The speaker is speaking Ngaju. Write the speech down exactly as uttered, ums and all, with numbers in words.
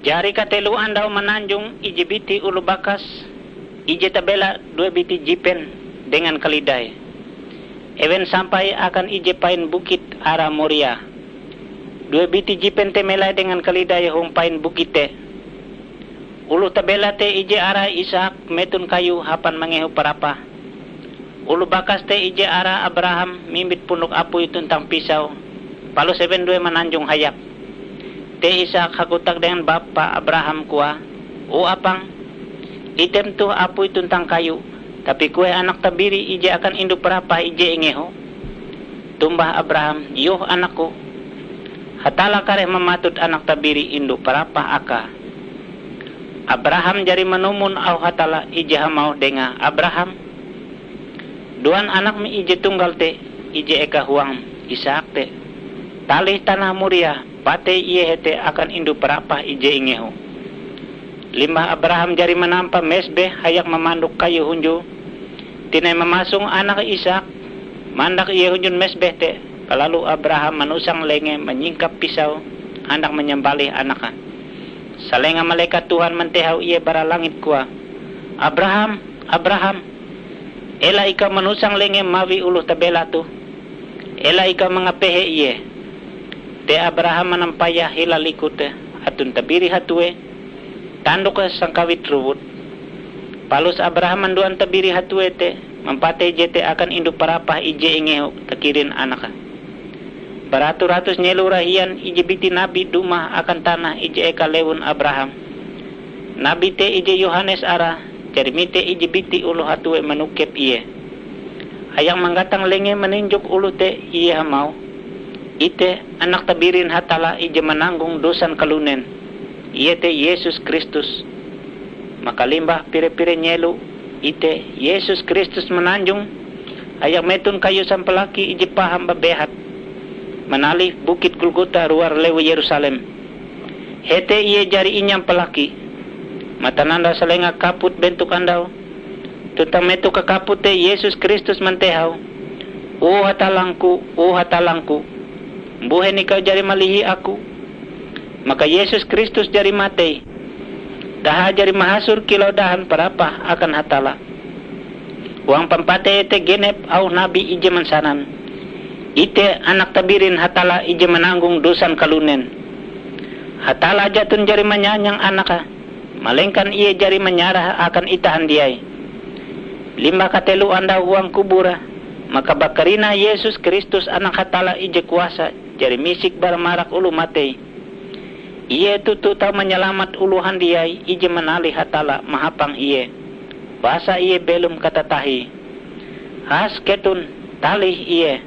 Jari katelo andau mananjong ije biti oloh bakas, ije tabela due biti jipen dengan kalidai. Ewen sampai akan ije pain bukit arae Moria. Due biti jipen te melai dengan kalidai hong pain bukit te. Oloh tabela te ije arae Isak meton kayu hapan mangehu parapah. Oloh bakas te ije arae Abraham mimbit pundok apui tuntang pisau, palus ewen due mananjong hayak. Te Isak hakotak dengan bapa Abraham koae, "O apang, item toh apui tuntang kayu, tapi kueh anak tabiri ije akan indu parapah ije ingehu." Tombah Abraham, "Yoh anakku, Hatalla kareh mamatut anak tabiri indu parapah akae." Abraham jari manumon auh Hatalla ije hamauh dengae, "Abraham, duan anakm ije tunggal te, ije eka huangm, Isak te, talih tanah Moria, patei ie hete akan indu parapah ije ingehu." Limbah Abraham jari manampa mesbeh hayak mamandok kayu hunjue, tinai mamasong anake Isak, mandak ie hunjun mesbeh te, balalu Abraham manusang lengee manyingkap pisau handak manyambalih anake. Salenga malekat Tuhan mantehau ie bara langit koae, "Abraham, Abraham! Ela ikau manusang lengee mawi oloh tabela toh. Ela ikau mangapehe ie." Te Abraham manampayah hila likute aton tabiri hatue, tandoke sangkawit rowut. Palus Abraham manduan tabiri hatue te, mampatei jete akan indu parapah ije ingehu takirin anake. Baratus-ratus nyelo rahian ije biti nabi dumah akan tanah ije eka lewun Abraham. Nabi te ije Yohanes arae, jari mite ije biti oloh hatue manokep ie. Hayak manggatang lengee maninjok oloh te, ie hamauh, "Ite, Anak Tabirin Hatalla ije mananggong dosan kalunen, iete Yesus Kristus." Maka limbah pire-pire nyelo, ite, Yesus Kristus mananjong hayak meton kayu sampalaki ije paham babehat, manalih Bukit Golgota ruar lewu Yerusalem. Hete ie jari inyampalaki. Matanandau salenga kaput bentok andau, tuntang metoh kakaput te Yesus Kristus mantehau, "O Hatallangku, o Hatallangku, mbuhen ikau jari malihi aku?" Maka Yesus Kristus jari matei, daha jari mahasor kilau dahan parapah akan Hatalla. Huang pampatei te genep auh nabi ije mansanan, "Ite, Anak Tabirin Hatalla ije mananggong dosan kalunen." Hatalla jaton jari manyanyang Anake, malengkan Ie jari manyarah akan itah handiai. Limbah katelo andau huang kubure, maka bakarinah Yesus Kristus Anak Hatalla ije kuasa jari misik bara marak oloh matei. Ie toto tau manyalamat oloh handiai ije manalih Hatalla mahapang ie, basa ie belom katatahie. Has keton, talih ie!